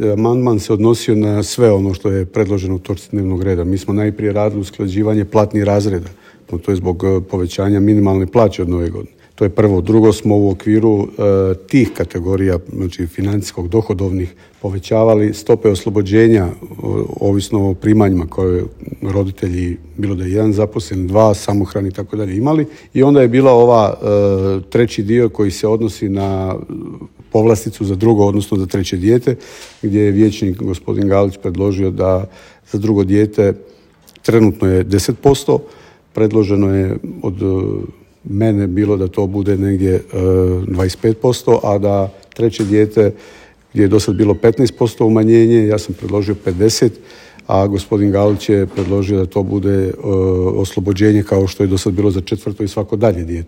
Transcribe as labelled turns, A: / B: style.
A: Amandman se odnosio na sve ono što je predloženo u točci dnevnog reda. Mi smo najprije radili usklađivanje platnih razreda, to je zbog povećanja minimalne plaće od nove godine. To je prvo. Drugo, smo u okviru tih kategorija, znači financijskog, dohodovnih, povećavali stope oslobođenja ovisno o primanjima koje roditelji, bilo da je jedan zaposlen, dva, samohrani i tako dalje imali. I onda je bila ova treći dio koji se odnosi na povlasticu za drugo, odnosno za treće dijete, gdje je vijećnik gospodin Galić predložio da za drugo dijete trenutno je 10%, predloženo je od mene bilo da to bude negdje 25%, a da treće dijete gdje je do sad bilo 15% umanjenje, ja sam predložio 50%, a gospodin Galić je predložio da to bude oslobođenje kao što je do sad bilo za četvrto i svako dalje dijete.